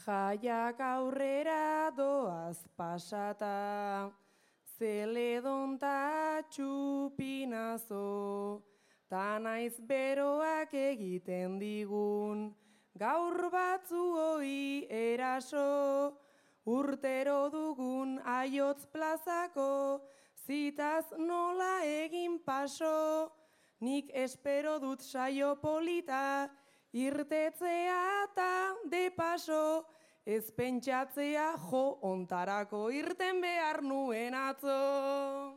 Jaiak aurrera doaz pasata, zeledonta txupinazo, ta naiz beroak egiten digun, gaur batzuoi eraso, urtero dugun aiotz plazako, zitaz nola egin paso, nik espero dut saio polita, irtetzea eta de paso, ez pentsatzea jo ontarako irten behar nuen atzo.